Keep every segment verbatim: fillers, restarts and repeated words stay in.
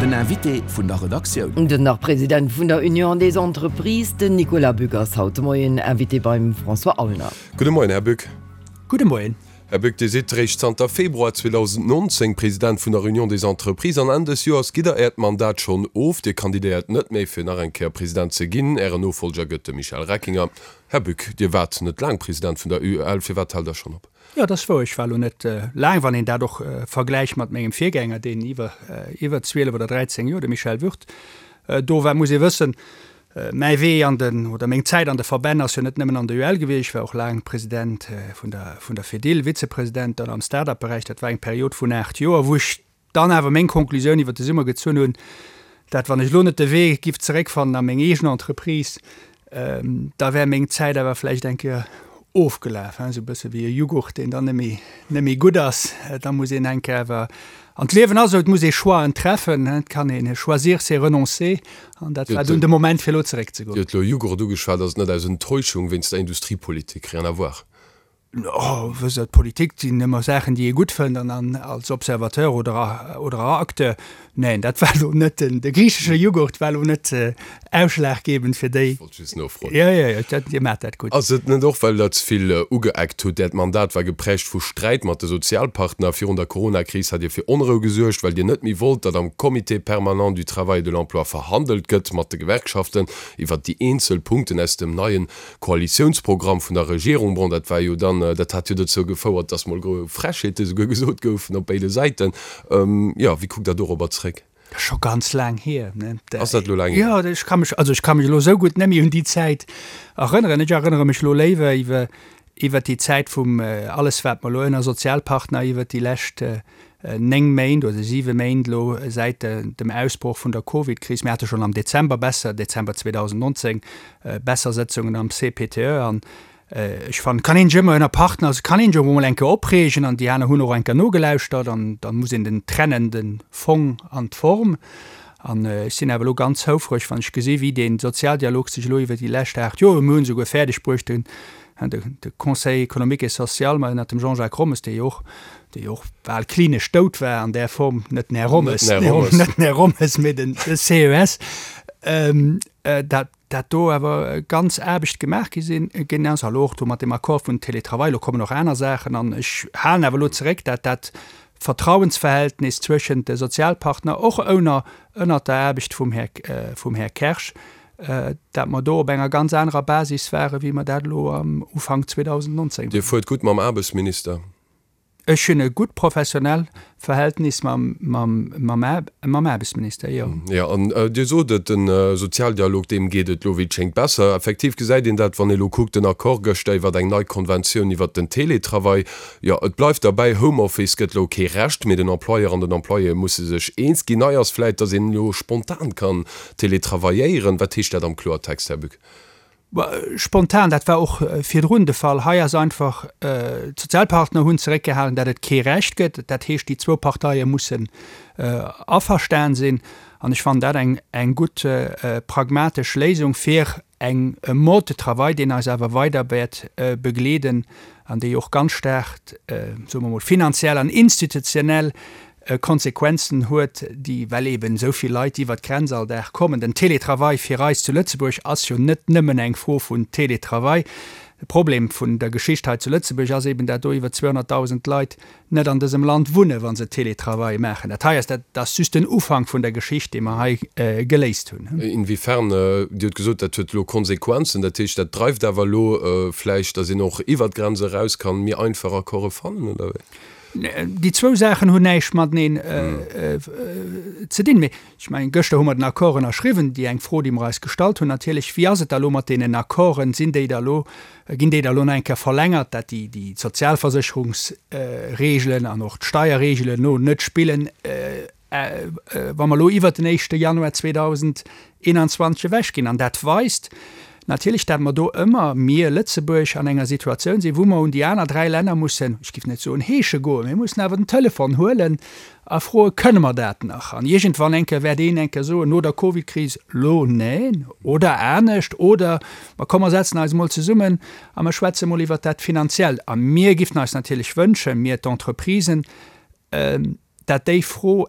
Den Invité vun der Redaktioun. Den Nach-President vun der Union des Entreprises, den Nicolas Bück ass haut de Moien Invité beim François Aulner. Gudde Moien, Här Bück. Gudde Moien. Här Bück, Dir sidd réischt zanter Februar zweedausendnonzéng President vun der Union des Entreprises an Enn des Joers gitt Der Äert Mandat schonn of. Dir kandidéiert net méi fir nach eng Kéier President ze ginn. Ären Nofollger gëtt de Michel Reckinger. Här Bück, Dir waart net laang President vun der U E L. Firwat haalt Der schonn op? Jo, dat ass wouer. Ech war elo net laang, wann een dat och vergläicht mat mengem Virgänger, deen iwwer iwwer zwielef oder dräizéng Joer, de Michel Würth, do war. Muss ee wëssen, mäi Wee an den, oder meng Zäit an de Verbänn ass jo net nëmmen an der U E L gewiescht. Ech war och laang President vun der vun der Fedil, Vizepresident dann am Start-up-Beräich. Dat war eng Period vun aacht Joer, wou ech dann awer meng Konklusioun iwwer de Summer gezunn hunn, dat wann ech elo net de Wee giff zeréckfannen a meng eegen Entreprise, da wär meng Zäit awer vläicht eng Kéier ofgelaf, esou e bësse wéi e Jughurt, deen dann net méi, net méi gutt ass. Da muss een eng Kéier awer, an d'Liewen ass esou, et muss ee Choixen treffen, et kann een, choisir c'est renoncer, an dat war dunn de Moment fir elo zeréckzegoen. Dir hutt elo Jughurt ugeschwat, ass et net aus Enttäuschung wéinst der Industriepolitik? Rien à voir. Oh, wësst Der, d'Politik sinn ëmmer Saachen, déi ee gutt fënnt, an dann als Observateur oder oder Acteur, neen, dat war elo net den, de griichesche Jughurt war elo net ausschlaggebend fir déi. Ech wollt just nofroen. Jo, jo, jo, dat, Dir maacht dat gutt. Ass et net och, well Der ze vill ugeeckt hutt? Äert Mandat war geprägt vu Sträit mat de Sozialpartner. Virun der Coronakris hat Dir fir Onrou gesuergt, well Dir net méi wollt, datt am Comité permanent du travail et de l'emploi verhandelt gëtt mat de Gewerkschaften iwwert déi eenzel Punkten aus dem neien Koalitiounsprogramm vun der Regierung. Bon, dat war jo dann, dat hat jo dozou gefouert, dass mol gro Frechheete souguer gesot goufen op béide Säiten. Jo, wéi kuckt Der dorobber zréck? Dat ass scho ganz laang hier, ne? Ass dat elo laang hier? Jo, ech ka mech, also ech ka mech elo esou gutt net méi un déi Zäit erënneren. Ech erënnere mech elo léiwer iwwer, iwwer déi Zäit vum alles, wat mer elo ënner Sozialpartner iwwer déi lescht néng Méint oder siwe Méint elo säit dem Ausbroch vun der Covidkris, mir hate schonn am Dezember besser, Dezember zweedausendnonzéng, besser Sëtzungen am C P T E an ech fannen, kann een sech ëmmer ënner Partner, kann een sech och emol eng Kéier opreegen an déi aner hunn och eng Kéier nogelauschtert an da muss een den trennen, de Fong an d'Form. An ech sinn awer elo ganz houfreg, wann ech gesi wéi dee Sozialdialog sech elo iwwer déi lescht aacht Joer, mir hunn esouguer fäerdeg bruecht, den de Conseil économique et social mat ënnert dem Jean-Jacques Rommes, dee jo och, dee jo och bal klinesch dout war an där Form, net den Här Rommes, Net den Här Rommes. net den Här Rommes, mee den C E S, dat dat do awer ganz Aarbecht gemaach gi sinn, ginn ass, elo och do mat deem Accord vun Télétravail, elo kommen och aner Saachen an ech halen awer elo zeréck, dat dat Vertrauensverhältnis zwëschent de Sozialpartner, och ënner ënnert der Aarbecht vum Här vum Här Kersch, dat mer do op enger ganz anerer Basis ware wéi mer dat elo am Ufank zweedausendnonzéng Dir waren. Fuert gutt mam Aarbechtsminister? Ech hunn e gutt professionell Verhältnis mam, mam, mam, mam Aarbechtsminister, jo. Jo, an Dir sot et, de Sozialdialog, deem geet et elo wéi et schéngt besser. Effektiv gesäit een dat, wann ee elo kuckt, den Accord gëschter iwwer eng nei Konventioun iwwert den Télétravail. Jo, et bleift derbäi, Homeoffice gëtt elo kee Recht, mee den Employeur an den Employé musse sech eens ginn. Nei ass vläit, datt een elo spontan kann télétravailléieren. Wat heescht dat am Kloertext, Här Bück? Spontan, dat war och virdrun de Fall. Hei ass einfach, d'Sozialpartner hunn zeréckgehalen, datt et kee Recht gëtt. Dat heescht, déi zwou Parteie mussen averstan sinn. An ech fannen dat eng, eng gutt pragmatesch Léisung fir eng, e Mode de travail, deen eis awer weider wäert begleeden an dee jo och ganz staark, soe mer emol, finanziell an institutionell Konsequenzen huet, déi, well eben esou vill Leit iwwert d'Grenz all Dag kommen. Den Télétravail fir eis zu Lëtzebuerg ass jo net nëmmen eng Fro vun Télétravail. De Problem vun der Geschicht hei zu Lëtzebuerg ass eben, dat do iwwer zweehonnertdausend Leit net an dësem Land wunnen, wa se Télétravail maachen. Dat hei ass, dat ass just den Ufank vun der Geschicht, dee mer hei geléist hunn. Inwiefern? Dir hutt gesot, dat huet elo Konsequenzen. Dat heescht, dat dreift awer elo vläicht, datt een och iwwert d'Grenz eraus kann méi einfach Accorde fannen, oder wéi? Déi zwou Saachen hunn näischt mateneen ze dinn. Mee ech mengen, gëschter hu mer den Accord ënnerschriwwen. Déi eng Fro, déi mer eis gestallt hunn natierlech, Wéi ass et da elo mat deenen Accorden? Sinn déi da elo, ginn déi da elo nach eng Kéier verlängert, dat déi, déi Sozialversécherungsregelen an och d'Steierregelen no net spillen, wa mer elo iwwert den éischte Januar zweedausendeenanzwanzeg ewechginn? An dat weist natierlech, dat mer do ëmmer, mir Lëtzebuerg, an enger Situatioun sinn, wou mer un déi aner dräi Länner mussen, ech géif net soen heesche goen, mir mussen awer den Telefon huelen a froen, Kënne mer dat nach? An iergendwann eng Kéier wäert een eng Kéier soen, no der Covidkris, Lo neen oder anescht oder ma komm mer setzen eis emol zesummen a mer schwätze mol iwwert dat Finanziellt. A mir géifen eis natierlech wënschen, mir d'Entreprisen, dat déi Fro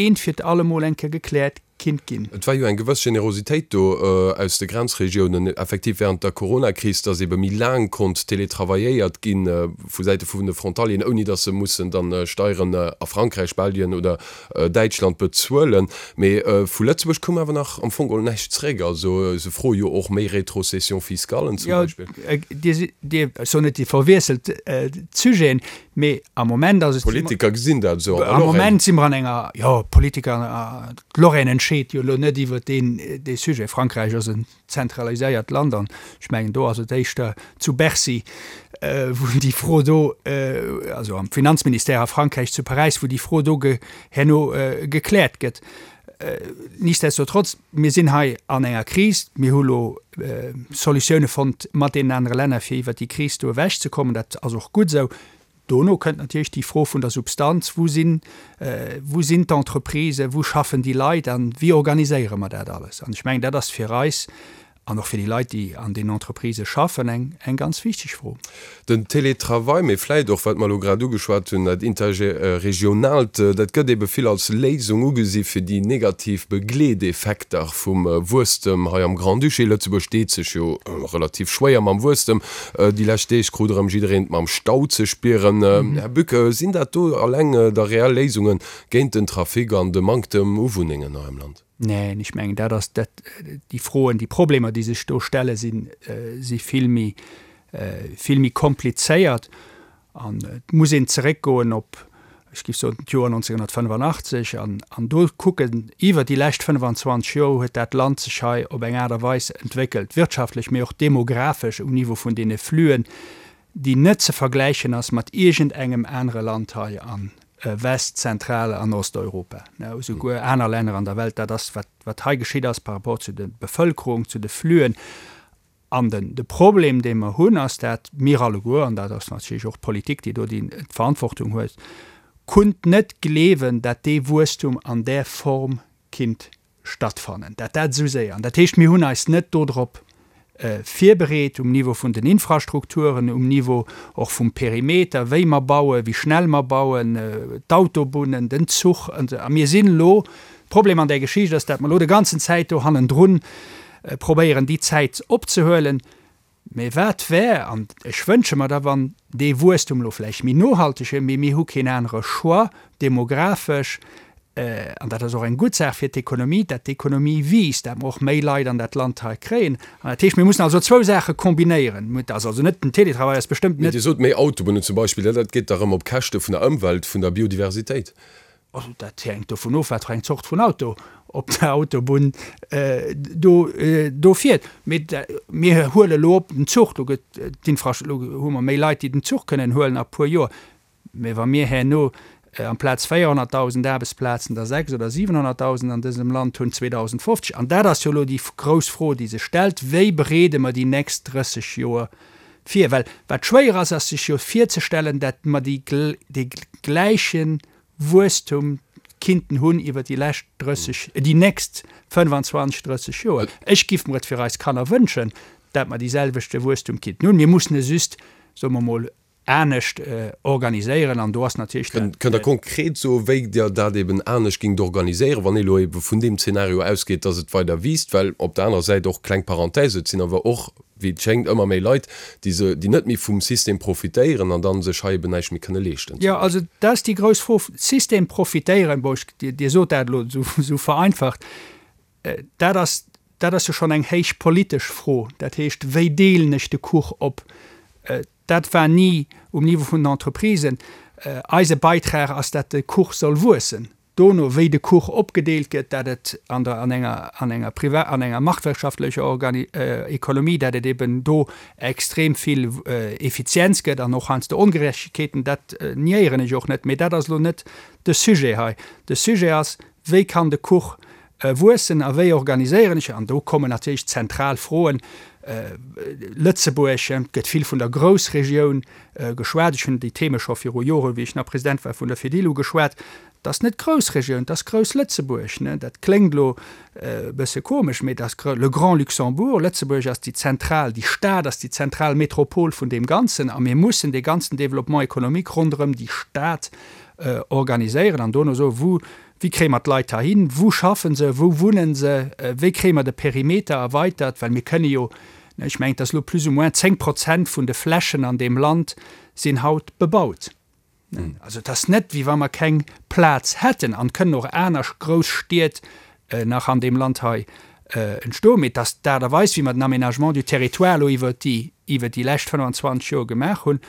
eent fir allemol eng Kéier gekläert kinnt ginn. Et war jo eng gewëss Generositéit do aus de Grenzregiounen effektiv während der Coronakris, dass ebe méi laang konnt teletravailléiert gi vu Säite vun de Frontalieren, ouni dass se mussen dann Steieren a Frankräich, Belgien oder Däitschland bezuelen. Mee vu Lëtzebuerg koum awer nach am Fong geholl näischt zréck. Also se froe jo och méi Rétrocession-fiscallen zum Beispill. Jo, Dir, Dir, ech soen net, Dir verwiesselt d'Sujeten, mee am Moment ass et. D'Politiker gesinn dat esou an der Lorraine. Am Moment si mer an enger, jo, d'Politiker, d'Lorraine entscheet jo elo net iwwer deen, dee Sujet. Frankräich ass en zentraliséiert Land an ech mengen, do ass et éischter zu Bercy, wou déi Fro do, also am Finanzministère a Frankräich zu Paräis, wou déi Fro do herno gekläert gëtt. Nichtsdestotrotz, mir sinn hei an enger Kris. Mir hu lo Solutioune fonnt mat deenen anere Länner, fir iwwert déi Kris do ewechzekommen. Dat ass och gutt esou. Dono kënnt natierlech déi Fro vun der Substanz, Wou sinn, wou sinn d'Entreprisen, wou schaffen déi Leit a wéi organiséiere mer dat alles? An ech mengen, dat ass fir eis an och fir déi Leit, déi an deenen Entreprisë schaffen, eng, eng ganz wichteg Fro. Den Télétravail, mee vläit och, wat mer elo grad ugeschwat hunn, dat Interregionaalt, dat gëtt ebe vill als Léisung ugesi fir déi negativ Begleeteffekter vum Wuesstem hei am Grand-Duché. Lëtzebuerg deet sech jo relativ schwéier mam Wuesstem. Déi lescht Deeg krut erëm jiddereen et mam Stau ze spieren. Här Buck, sinn dat do alleng da reell Léisunge géint den Trafic an de Manktem u Wunnengen hei am Land? Neen, ech mengen, dat ass dat, déi Froen, déi Problemer, déi sech do stellen, sinn, si vill méi, vill méi komplizéiert. An et muss een zeréckgoen op, ech géif soen, d'Joer nonzénhunnertfënnefannachtzeg an, an do kucken, iwwer déi lescht fënnefan-zwanzeg Joer huet dat Land sech hei op eng Aart a Weis entwéckelt, wirtschaftlech, mee och demographesch um Niveau vun deene Flüen, déi net ze vergläichen ass mat iergendengem anere Land hei a West-, Zentral an Osteuropa, esouguer aner Länner an der Welt. Dat ass, wat, wat hei geschitt ass par rapport zu der Bevëlkerung, zu de Flüen. An den, de Problem, dee mer hunn, ass, dat mir alleguer, an dat ass natierlech och d'Politik, déi do déi d'Verantwortung huet, kunnt net gleewen, dat dee Wuesstum an där Form kinnt stattfannen, dat dat esou séier. An dat heescht, mir hunn eis net dodrop virbereet um Niveau vun den Infrastrukturen, um Niveau och vum Perimeter, wéi mer bauen, wéi schnell mer bauen, d'Autobunnen, den Zuch. A mir sinn elo, Problem an där Geschicht ass, dat mer elo de ganzen Zäit do hannendrun probéieren, déi Zäit opzehuelen. Mee wat wär, an ech wënsche mer da, wann dee Wuesstum elo vläicht méi nohalteg wier, mee mir hu keen anere Choix, demografesch, an dat ass och eng gutt Saach fir d'Ekonomie, dat d'Ekonomie wiisst, dat mer och méi Leit an dat Land hei kréien. An dat heescht, mir mussen also zwou Saache kombinéieren. Et ass also net, den Télétravail ass bestëmmt Mee net. Dir sot méi Autobunnen zum Beispill, dat geet da erëm op Käschte vun der Ëmwelt, vun der Biodiversitéit. Also dat hänkt dovun of, wat fir eng Zort vun Auto op der Autobunn do do fiert. Mee mir huele elo op den Zuch, do gëtt d'Infra, elo hu mer méi Leit, déi den Zuch kënnen huelen a puer Joer. Mee wa mir herno amplaz véierhonnertdausend Aarbechtsplazen der sechs oder siwenhonnertdausend an dësem Land hunn zweedausendfofzeg, an dat ass jo elo déi grouss Fro, déi sech stellt, wéi bereede mer déi nächst drësseg Joer vir? Well wat schwéier ass, ass sech jo virzestellen, datt mer déi dee gläiche Wuesstum kinnten hunn iwwer déi lescht drësseg, déi nächst fënnfanzwanzeg, drësseg Joer. Ech giff mer et fir eis Kanner wënschen, dat mer dee selwechte Wuesstum kinnten hunn. Mir mussen e just, soe mer emol, anescht organiséieren an do ass natierlech dat. Kënnt Der konkret soen, wéi Der dat eben anescht géingt organiséieren, wann ee elo ebe vun deem Zeenario ausgeet, dass et weider wiisst? Well op der anerer Säit och, kleng Parenthèse, et sinn awer och, wéi et schéngt, ëmmer méi Leit, déi se, déi net méi vum System profitéieren an dann sech hei eben näischt méi kënne leeschten. Jo, also dat ass déi grouss Fro. System profitéieren, bon, ech, Dir, Dir sot dat elo esou, esou vereinfacht, dat ass, dat ass jo schonn eng héich politesch Fro. Dat heescht, wéi deelen ech de Kuch op? Dat war ni um Niveau vun den Entreprisen. Eise Beitrag ass, dat de Kuch soll wuessen. Dono, wéi de Kuch opgedeelt gëtt, dat et an der, an enger, an enger priva-, an enger marktwirtschaftlecher Organi-, Ekonomie, dat et eben do extrem vill Effizienz gëtt an och heiansdo Ongerechtegkeeten, dat niéieren ech och net. Mee dat ass elo net de Sujet hei. De Sujet ass, Wéi kann de Kuch wuessen a wéi organiséieren ech? An do kommen natierlech zentral Froen. Lëtzebuerg, et gëtt vill vun der Groussregioun geschwat. Ech hunn déi Theme scho viru Joren, wéi ech nach President war vun der Fedil, ugeschwat. Et ass net d'Groussregioun, et ass Grouss-Lëtzebuerg. Dat kléngt elo e bësse komesch, mee et ass le Grand Luxembourg. Lëtzebuerg ass déi zentral, déi Stad ass déi zentral Metropol vun deem Ganzen a mir mussen dee ganzen Développement économique ronderëm déi Stad organiséieren an dono soen, wou Wéi kréie mer d'Leit heihin? Wou schaffen se? Wou wunnen se? Wéi kréie mer de Perimeter erweitert? Well mir kënne jo, ech mengen, et ass elo plus ou moins zéng Prozent vun de Flächen an deem Land sinn haut bebaut. Also et ass net, wéi wa mer keng Plaz hätten an et kënnen och aner grouss Stied nach an deem Land hei entstoen. Mee et ass d'Aart a Weis, wéi mer den Aménagement du territoire elo iwwert déi, iwwert déi lescht fënnfanzwanzeg Joer gemaach hunn,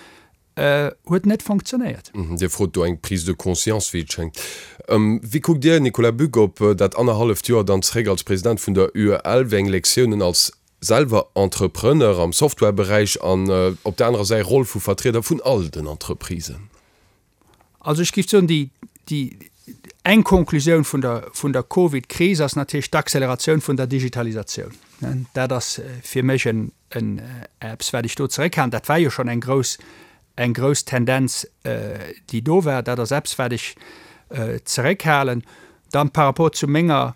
huet net fonctionnéiert. Dir frot do eng Prise de conscience, wéi et schéngt. Wéi kuckt Dir, Nicolas Buck, op dat annerhalleft Joer dann zeréck als President vun der U E L? Wéi eng Lektiounen als selwer Entrepreneur am Softwareberäich an op der anerer Säit Roll vu Vertrieder vun all den Entreprisen? Also ech géif soen, déi, déi eng Konklusioun vun der, vun der Covid-Kris ass natierlech d'Acceleratioun vun der Digitalisatioun. Dat ass fir mech en, en eppes, wat ech do zeréckhalen. Dat war jo schonn eng grouss, eng grouss Tendenz, déi do war. Dat ass eppes, wat ech zeréckhalen. Dann par rapport zu menger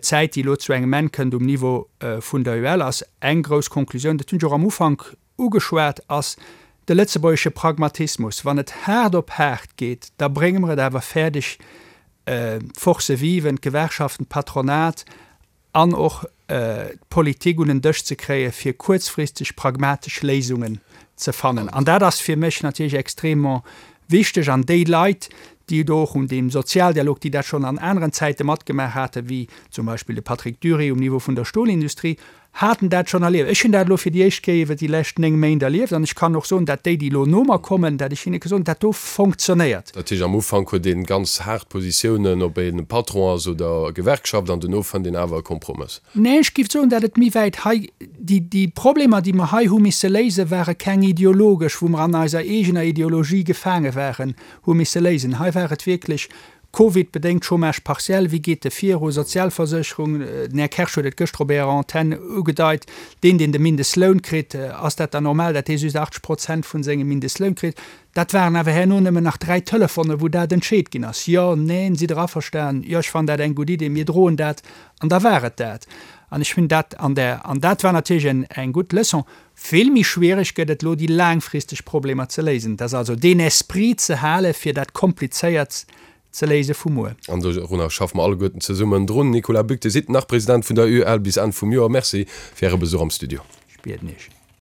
Zäit, déi elo zu engem Enn kënnt um Niveau vun der U E L, ass eng grouss Konklusioun, dat hunn ech och am Ufank ugeschwat, ass de lëtzebuergesche Pragmatismus. Wann et haart op haart geet, da brénge mer et awer fäerdeg, d'Forces vives, d'Gewerkschaften, d'Patronat an och d'Politik un en Dësch ze kréien, fir kuerzfristeg pragmatesch Léisungen ze fannen. An dat ass fir mech natierlech extrêmement wichteg. An déi Leit, déi do och un deem Sozialdialog, déi dat schonn an aneren Zäite matgemaach haten, wéi zum Beispill de Patrick Dury um Niveau vun der Stolindustrie, haten dat schonn erlieft. Ech hunn dat elo fir déi éischt Kéier iwwer déi lescht néng Méint erlieft an ech kann och soen, dat déi, déi elo no mer kommen, dat ech hinne ka soen, dat do fonctionnéiert. Dat heescht, am Ufank huet ee ganz haart Positiounen, ob een Patron ass oder Gewerkschaft, an duerno fënnt een awer e Kompromëss. Nee, ech géif soen, dat et méi wäit hei, déi, déi Problemer, déi mer hei hu misse léisen, ware keng ideologesch, wou mer an eiser eegener Ideologie gefaange waren, hu misse léisen. Hei war et wierklech Covid-bedéngt Chômage partiel, wéi geet e viru, Sozialversécherung, den Här Kersch huet et gëschter op Ärer Antenn ugedeit, deen, deen de Mindestloun kritt, ass dat dann normal, dat dee just achtzeg Prozent vun sengem Mindestloun kritt? Dat waren awer herno nëmmen nach dräi Telefonen, wou dat entscheet ginn ass, Jo, neen, sidd Der averstanen? Jo, ech fannen dat eng gutt Idee, mir droen dat. An da war et dat. An ech hunn dat an der, an dat war natierlech eng, eng gutt Leçon. Vill méi schwiereg gëtt et elo, déi laangfristeg Problemer ze léisen. Dat ass also deen Esprit ze hale fir dat Komplizéiertst ze léise vu muer. An dorunner schaffe mer alleguerten zesummen drun. Nicolas Buck, Dir sidd nach President vun der U E L bis Enn vum Joer. Merci fir Äre Besuch am Studio. Ech bieden Iech.